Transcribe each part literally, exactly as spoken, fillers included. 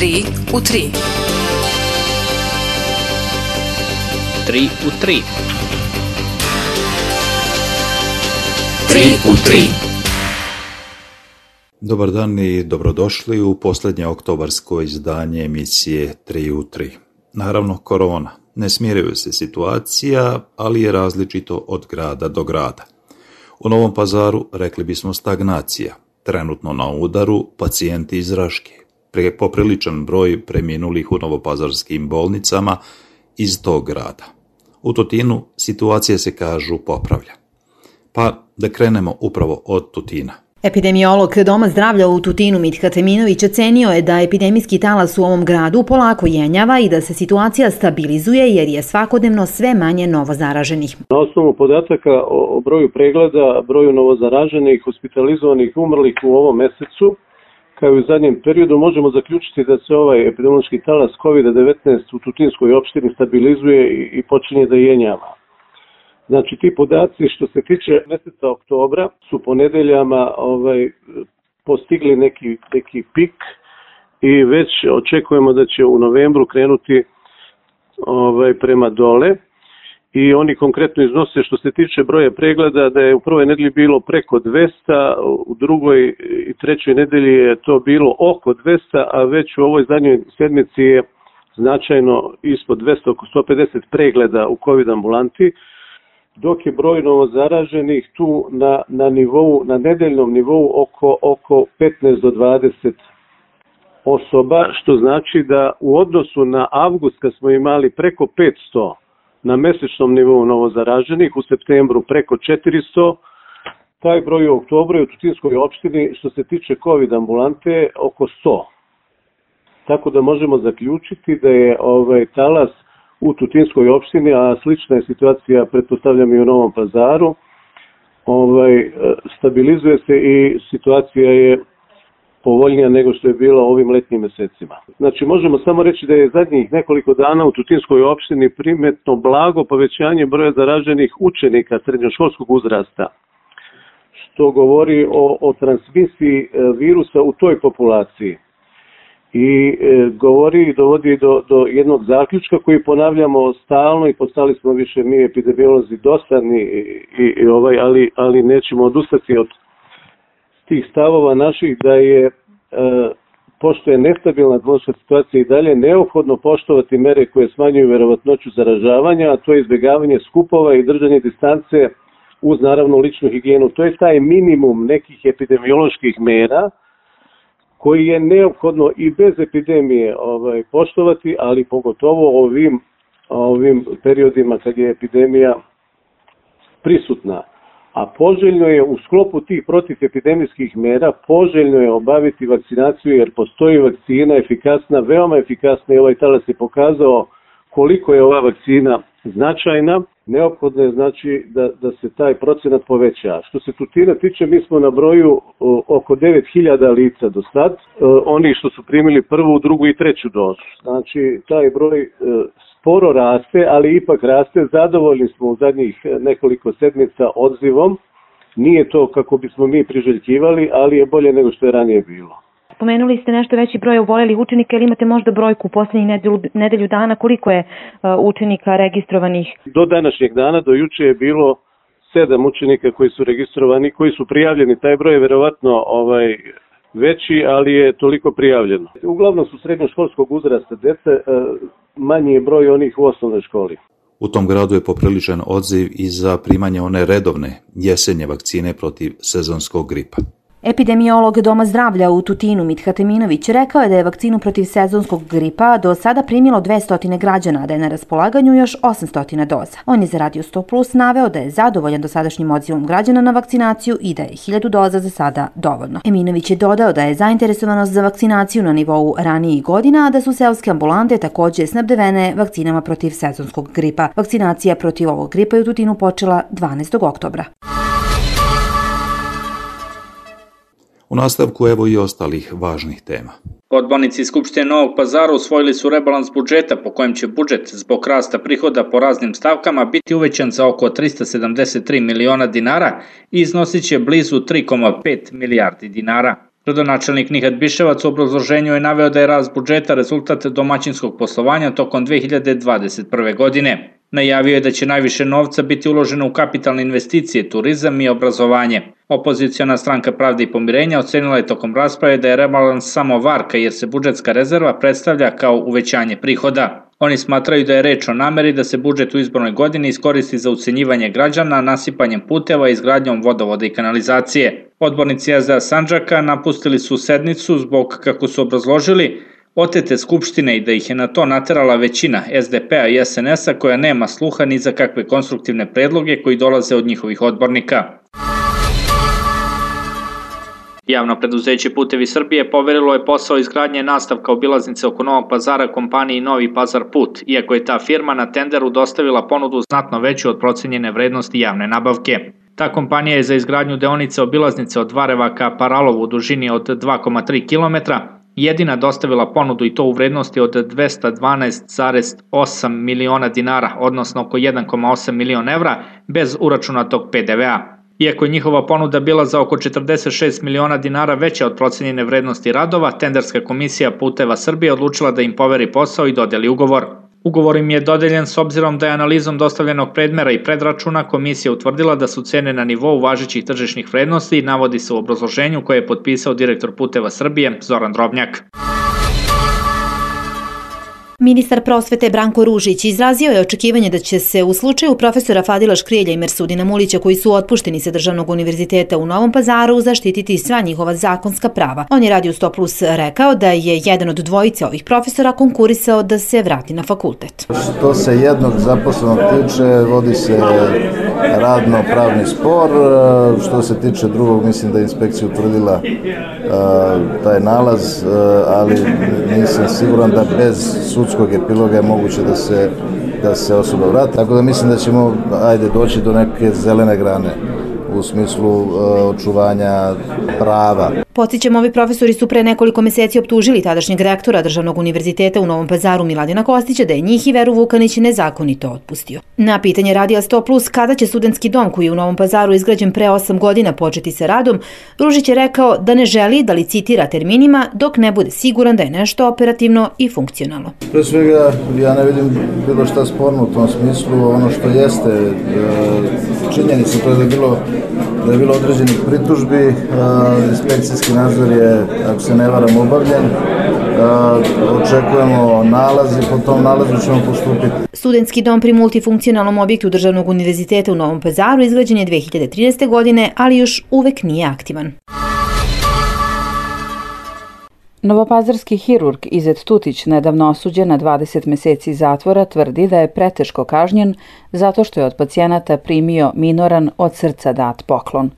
tri u tri. tri u tri. tri u tri. Dobar dan i dobrodošli u posljednje oktobarsko izdanje emisije tri u tri. Naravno, korona. Ne smiruje se situacija, ali je različito od grada do grada. U Novom Pazaru rekli bismo stagnacija. Trenutno na udaru pacijenti iz Raške. Pre popriličan broj preminulih u novopazarskim bolnicama iz tog grada. U Tutinu situacija se, kažu, popravlja. Pa da krenemo upravo od Tutina. Epidemiolog Doma zdravlja u Tutinu Mithat Eminović ocenio je da epidemijski talas u ovom gradu polako jenjava i da se situacija stabilizuje jer je svakodnevno sve manje novozaraženih. Na osnovu podataka o broju pregleda, broju novozaraženih, hospitalizovanih, umrlih u ovom mesecu, kao i u zadnjem periodu, možemo zaključiti da se ovaj epidemiološki talas kovid devetnaest u Tutinskoj opštini stabilizuje i počinje da jenjava. Znači, ti podaci što se tiče meseca oktobra su po nedeljama ovaj, postigli neki, neki pik i već očekujemo da će u novembru krenuti ovaj, prema dole. I oni konkretno iznose što se tiče broja pregleda da je u prvoj nedelji bilo preko dvesta, u drugoj i trećoj nedelji je to bilo oko dvesta, a već u ovoj zadnjoj sedmici je značajno ispod dvesta, oko sto pedeset pregleda u COVID ambulanti, dok je broj novozaraženih tu na, na, nivou, na nedeljnom nivou oko, oko petnaest do dvadeset osoba, što znači da u odnosu na avgust kad smo imali preko petsto na mesečnom nivou novozaraženih, u septembru preko četiristo, taj broj u oktobru je u Tutinskoj opštini što se tiče COVID ambulante oko sto. Tako da možemo zaključiti da je ovaj talas u Tutinskoj opštini, a slična je situacija, pretpostavljam, i u Novom Pazaru, ovaj, stabilizuje se i situacija je povoljnija nego što je bila ovim letnjim mesecima. Znači, možemo samo reći da je zadnjih nekoliko dana u Tutinskoj opštini primetno blago povećanje broja zaraženih učenika srednjoškolskog uzrasta, što govori o, o transmisiji virusa u toj populaciji. I e, govori i dovodi do, do jednog zaključka koji ponavljamo stalno i postali smo više mi epidemiolozi dosadni, i, i, ovaj, ali, ali nećemo odustati od tih stavova naših da je, e, pošto je nestabilna epidemiološka situacija i dalje, neophodno poštovati mere koje smanjuju verovatnoću zaražavanja, a to je izbjegavanje skupova i držanje distance uz naravno ličnu higijenu. To je taj minimum nekih epidemioloških mera koji je neophodno i bez epidemije ovaj, poštovati, ali pogotovo ovim, ovim periodima kad je epidemija prisutna. A poželjno je u sklopu tih protivepidemijskih mera, poželjno je obaviti vakcinaciju jer postoji vakcina efikasna, veoma efikasna i ovaj talas je pokazao koliko je ova vakcina značajna. Neophodno je znači da, da se taj procenat poveća. Što se Tutina tiče, mi smo na broju o, oko devet hiljada lica do sad, e, oni što su primili prvu, drugu i treću dozu. Znači, taj broj e, sporo raste, ali ipak raste. Zadovoljni smo u zadnjih nekoliko sedmica odzivom. Nije to kako bismo mi priželjkivali, ali je bolje nego što je ranije bilo. Spomenuli ste nešto veći broj obolelih učenika, ili imate možda brojku u posljednjih nedelju, nedelju dana koliko je uh, učenika registrovanih? Do današnjeg dana, do juče je bilo sedam učenika koji su registrovani, koji su prijavljeni. Taj broj je verovatno ovaj, veći, ali je toliko prijavljeno. Uglavnom su srednjoškolskog uzrasta dece, uh, manji je broj onih u osnovnoj školi. U tom gradu je popriličan odziv i za primanje one redovne jesenje vakcine protiv sezonskog gripa. Epidemiolog Doma zdravlja u Tutinu Mithat Eminović rekao je da je vakcinu protiv sezonskog gripa do sada primilo dvesta građana, a da je na raspolaganju još osamsto doza. On je za Radio sto plus naveo da je zadovoljan dosadašnjim odzivom građana na vakcinaciju i da je hiljadu doza za sada dovoljno. Eminović je dodao da je zainteresovanost za vakcinaciju na nivou ranijih godina, a da su seoske ambulante također snabdevene vakcinama protiv sezonskog gripa. Vakcinacija protiv ovog gripa je u Tutinu počela dvanaestog oktobra. U nastavku evo i ostalih važnih tema. Odbornici Skupštine Novog Pazara usvojili su rebalans budžeta po kojem će budžet zbog rasta prihoda po raznim stavkama biti uvećan za oko trista sedamdeset tri miliona dinara i iznosit će blizu tri zarez pet milijardi dinara. Rodonačelnik Nihat Biševac u obrazloženju je naveo da je rast budžeta rezultat domaćinskog poslovanja tokom dve hiljade dvadeset prve. godine. Najavio je da će najviše novca biti uloženo u kapitalne investicije, turizam i obrazovanje. Opoziciona stranka Pravde i pomirenja ocenila je tokom rasprave da je rebalans samo varka jer se budžetska rezerva predstavlja kao uvećanje prihoda. Oni smatraju da je reč o nameri da se budžet u izbornoj godini iskoristi za ucenjivanje građana, nasipanjem puteva i izgradnjom vodovoda i kanalizacije. Odbornici S D A Sandžaka napustili su sednicu zbog, kako su obrazložili, otete skupštine i da ih je na to naterala većina S D P-a i S N S-a koja nema sluha ni za kakve konstruktivne predloge koji dolaze od njihovih odbornika. Javno preduzeće Putevi Srbije poverilo je posao izgradnje nastavka obilaznice oko Novog Pazara kompaniji Novi Pazar Put, iako je ta firma na tenderu dostavila ponudu znatno veću od procenjene vrednosti javne nabavke. Ta kompanija je za izgradnju deonice obilaznice od Vareva ka Paralovu u dužini od dva zarez tri kilometra jedina dostavila ponudu i to u vrednosti od dvesta dvanaest zarez osam miliona dinara, odnosno oko jedan zarez osam miliona evra, bez uračunatog P D V-a. Iako je njihova ponuda bila za oko četrdeset šest miliona dinara veća od procenjene vrednosti radova, tenderska komisija Puteva Srbije odlučila da im poveri posao i dodeli ugovor. Ugovor im je dodeljen s obzirom da je analizom dostavljenog predmera i predračuna komisija utvrdila da su cene na nivou važećih tržišnih vrednosti i navodi se u obrazloženju koje je potpisao direktor Puteva Srbije Zoran Drobnjak. Ministar prosvete Branko Ružić izrazio je očekivanje da će se u slučaju profesora Fadila Škrijelja i Mersudina Mulića koji su otpušteni sa Državnog univerziteta u Novom Pazaru zaštititi sva njihova zakonska prava. On je Radio sto plus rekao da je jedan od dvojice ovih profesora konkurisao da se vrati na fakultet. Što se jednog zaposlenog tiče, vodi se radno-pravni spor. Što se tiče drugog, mislim da je inspekcija utvrdila uh, taj nalaz, uh, ali nisam siguran da bez sudskog epiloga je moguće da se, da se osoba vrati. Tako da mislim da ćemo ajde, doći do neke zelene grane u smislu uh, očuvanja prava. Podsjećam, ovi profesori su pre nekoliko meseci optužili tadašnjeg rektora Državnog univerziteta u Novom Pazaru Miladina Kostića da je njih i Veru Vukanić nezakonito otpustio. Na pitanje Radija sto plus kada će studentski dom koji je u Novom Pazaru izgrađen pre osam godina početi sa radom, Ružić je rekao da ne želi da licitira terminima dok ne bude siguran da je nešto operativno i funkcionalno. Pre svega, ja ne vidim bilo šta sporno u tom smislu. Ono što jeste činjenica, to je da je bilo, da je bilo određenih pritužbi, inspekcijski nadzor je, ako se ne varam, obavljen. Očekujemo nalaz i po tom nalazu ćemo postupiti. Studentski dom pri multifunkcionalnom objektu Državnog univerziteta u Novom Pazaru izgrađen je dve hiljade trinaeste. godine, ali još uvek nije aktivan. Novopazarski hirurg Izet Tutić, nedavno osuđen na dvadeset meseci zatvora, tvrdi da je preteško kažnjen zato što je od pacijenata primio minoran od srca dat poklon.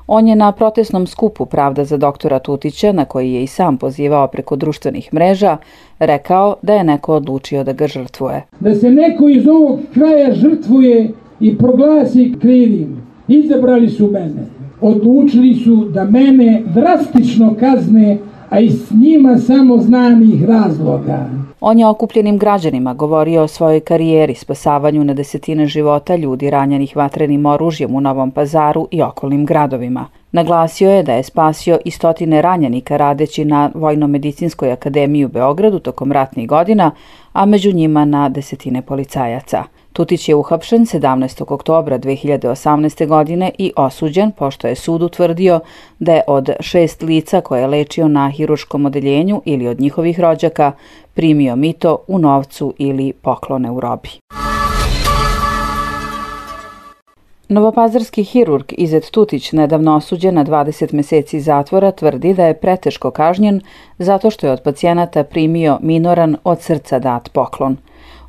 On je na protestnom skupu Pravda za doktora Tutića, na koji je i sam pozivao preko društvenih mreža, rekao da je neko odlučio da ga žrtvuje. Da se neko iz ovog kraja žrtvuje i proglasi krivim. Izabrali su mene. Odlučili su da mene drastično kazne, a i s njima samo znanih razloga. On je okupljenim građanima govorio o svojoj karijeri, spasavanju na desetine života ljudi ranjenih vatrenim oružjem u Novom Pazaru i okolnim gradovima. Naglasio je da je spasio i stotine ranjenika radeći na Vojno-medicinskoj akademiji u Beogradu tokom ratnih godina, a među njima na desetine policajaca. Tutić je uhapšen sedamnaestog oktobra dve hiljade osamnaeste. godine i osuđen pošto je sud utvrdio da je od šest lica koje je lečio na hiruškom odeljenju ili od njihovih rođaka primio mito u novcu ili poklone u robi. Novopazarski hirurg Izet Tutić, nedavno osuđen na dvadeset meseci zatvora, tvrdi da je preteško kažnjen zato što je od pacijenata primio minoran od srca dat poklon.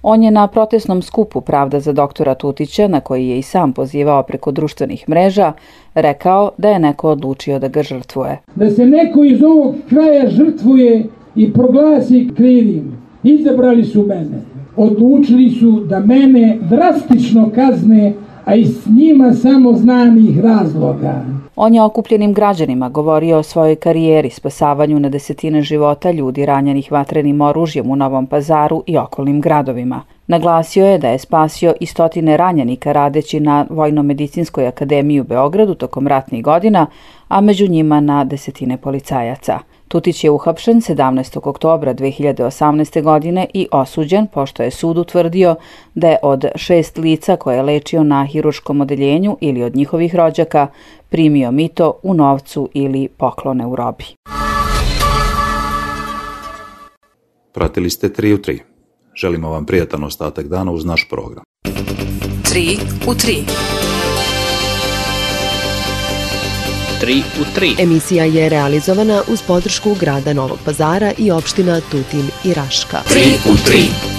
On je na protestnom skupu Pravda za doktora Tutića, na koji je i sam pozivao preko društvenih mreža, rekao da je neko odlučio da ga žrtvuje. Da se neko iz ovog kraja žrtvuje i proglasi krivim. Izabrali su mene. Odlučili su da mene drastično kazne, a i s njima samo znanih razloga. On je okupljenim građanima govorio o svojoj karijeri, spasavanju na desetine života ljudi ranjenih vatrenim oružjem u Novom Pazaru i okolnim gradovima. Naglasio je da je spasio i stotine ranjenika radeći na Vojno-medicinskoj akademiji u Beogradu tokom ratnih godina, a među njima na desetine policajaca. Tutić je uhapšen sedamnaestog oktobra dve hiljade osamnaeste. godine i osuđen, pošto je sud utvrdio da je od šest lica koje je lečio na hirurškom odeljenju ili od njihovih rođaka primio mito u novcu ili poklone u robi. Pratili ste tri u tri. Želimo vam prijatan ostatak dana uz naš program. tri u tri. tri u tri. Emisija je realizovana uz podršku grada Novog Pazara i opština Tutin i Raška. tri u tri.